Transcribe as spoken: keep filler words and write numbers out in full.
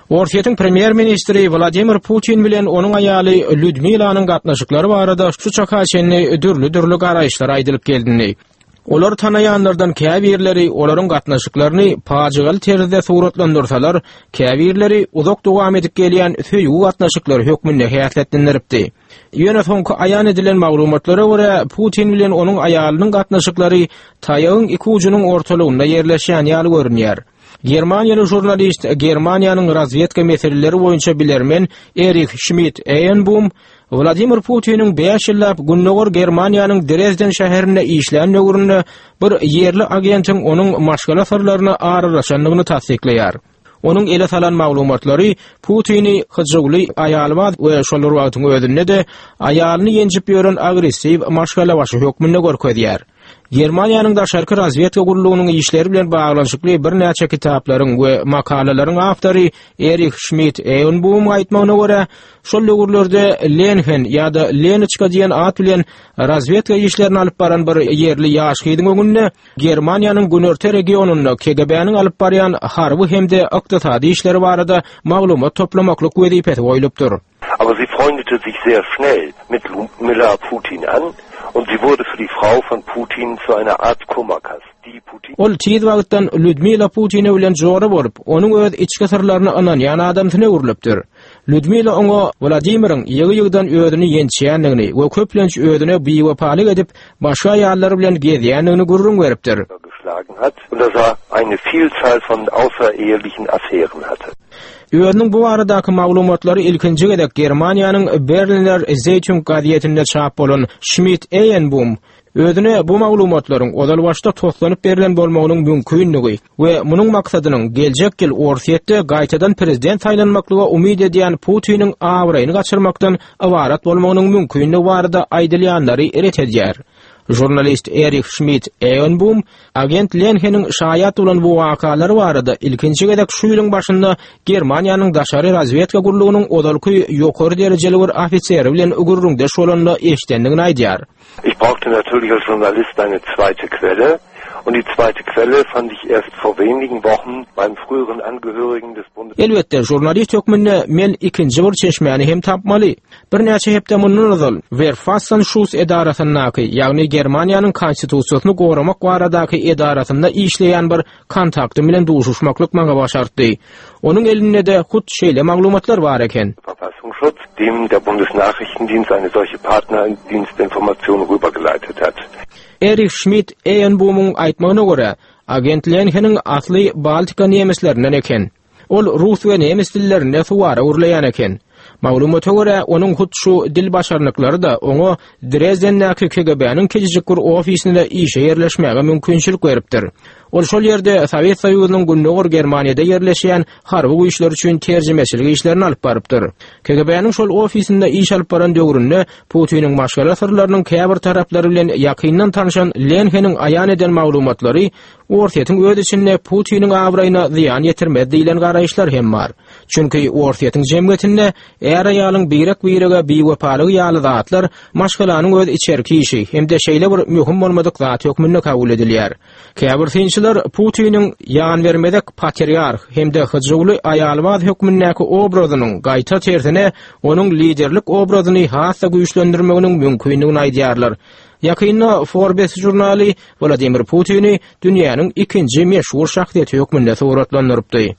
Orsýetiň premýer-ministri Wladimir Putin bilen onuň aýaly Lýudmilanyň gatnaşyklary barada şu çaka çenli dürli-dürli garaýyşlar aýdylyp gelindi. Olary tanaýanlardan käbirleri olaryň gatnaşyklaryny pajygaly terzde suratlandyrsalar, käbirleri uzak dowam edip gelýän söýgi gatnaşyklary hökmünde häsiýetlendiripdi. Ýöne soňky aýan edilen maglumatlara görä, Putin bilen onuň aýalynyň gatnaşyklary taýagyň iki ujunyň ortalygynda ýerleşýän ýaly görünýär. Germaniýaly žurnalist, Germaniýanyň razwedka meseleleri boýunça bilermen Erich Schmidt-Eýenbum Wladimir Putiniň bäş ýyllap Gündogar Germaniýanyň Drezden şäherinde işlän döwründe bir ýerli agentiň onuň maşgala syrlaryna aralaşandygyny tassyklaýar. Onuň ele salan maglumatlary Putini hyjuwly aýalbaz we şol bir wagtyň özünde-de aýalyny ýenjip ýören agressiw maşgalabaşy hökmünde görkezýär. Germaniýanyň daşarky razwedka gullugynyň işleri bilen baglanyşykly birnäçe kitaplaryň we makalalaryň awtory Erich Schmidt-Eýenbumyň aýtmagyna görä, şol döwürlerde Lenhen ýa-da Lenoçka diýen at bilen razwedka işlerini alyp baran bir ýerli ýaş gyzyň öňünde Germaniýanyň günorta regionynda K G B-niň alyp barýan harby hem-de ykdysady işleri barada maglumat toplamaklyk wezipesi goýlupdyr. Aber sie freundete sich sehr schnell mit Ludmilla Putin an und sie wurde für die Frau von Putin zu einer Art Kummerkasten. Die Putin Ol tiz wagtdan Ludmilla Putina bilen jora bolup, onuň öz içki syrlaryny ynanýan adamsyna öwrülipdir. Ludmilla oňa Wladimiriň ýygy-ýygydan özüni ýençýändigini we köplenç özüne biwepalyk edip, başga aýallar bilen gezýändigini gürrüň beripdir. geschlagen hat und dass er eine Vielzahl von außerehelichen Affären hatte. Özüniň bu baradaky maglumatlary ilkinji gezek Germaniýanyň Berliner Zeitung gazetinde çap bolan Schmidt-Eýenbum özüne bu maglumatlaryň ozal başda toslanyp berlen bolmagynyň mümkinligi we munuň maksadynyň geljek ýyl Orsýetde gaýtadan prezident saýlanmaklyga umyt edýän Putiniň abraýyny gaçyrmakdan ybarat bolmagynyň mümkinligi barada aýdylýanlary ret edýär. Žurnalist Erich Schmidt-Eýenbum agent Lenheniň şaýat bolan bu wakalary barada ilkinji gezek şu ýylyň başynda Germaniýanyň daşary razwedka gullugynyň ozalky ýokary derejeli bir ofiseri bilen gürrüňdeş bolanda eşdendigini aýdýar. Ich brauchte natürlich als Journalist eine zweite Quelle und die zweite Quelle fand ich erst vor wenigen Wochen beim früheren Angehörigen des Bundes Elbetde, žurnalist hökmünde men ikinji bir çeşmäni hem tapmaly. Birnäçe hepde mundan ozal Verfassungsschutz edarasyndaky, ýagny Germaniýanyň konstitusiýasyny goramak baradaky edarasynda işleýän bir kontaktym bilen duşuşmaklyk maňa başartdy. Onuň elinde-de hut şeýle maglumatlar bar eken. Verfassungsschutz, dem der Bundesnachrichtendienst eine solche Partnerdienstinformation rübergeleitet hat. Erich Schmidt-Eýenbumyň aýtmagyna görä, agent Lenheniň asly Baltika nemeslerinden eken. Ol rus we nemes dillerinde suwara gürleýän eken. Maglumata görä, onuň hut şu dil başarnyklary-da oňa Drezdendäki K G B-niň kiçijik bir ofisinde işe ýerleşmäge mümkinçilik beripdir. Ol şol ýerde Sowet Soýuzynyň Gündogar Germaniýada ýerleşýän harby güýçler üçin terjimeçilik işlerini alyp barypdyr. K G B-niň şol ofisinde iş alyp baran döwründe Putiniň maşgala syrlarynyň käbir taraplary bilen ýakyndan tanşan Lenheniň aýan eden maglumatlary Orsýetiň öz içinde Putiniň abraýyna zyýan ýetirmez diýlen garaýyşlar hem bar. Çünki Orsýetiň jemgyýetinde är-aýalyň birek-birege biwepalygy ýaly zatlar maşgalanyň öz içerki işi hem-de şeýle bir möhüm bolmadyk zat hökmünde kabul edilýär. Käbir synçylar Putiniň ýanbermezek patriarh hem-de hyjuwly aýalbaz hökmündäki obrazynyň gaýta tersine onuň liderlik obrazyny has-da güýçlendirmeginiň mümkindigini aýdýarlar. Ýakynda Forbes žurnaly Wladimir Putini dünýäniň ikinji meşhur şahsyýeti hökmünde suratlandyrypdy.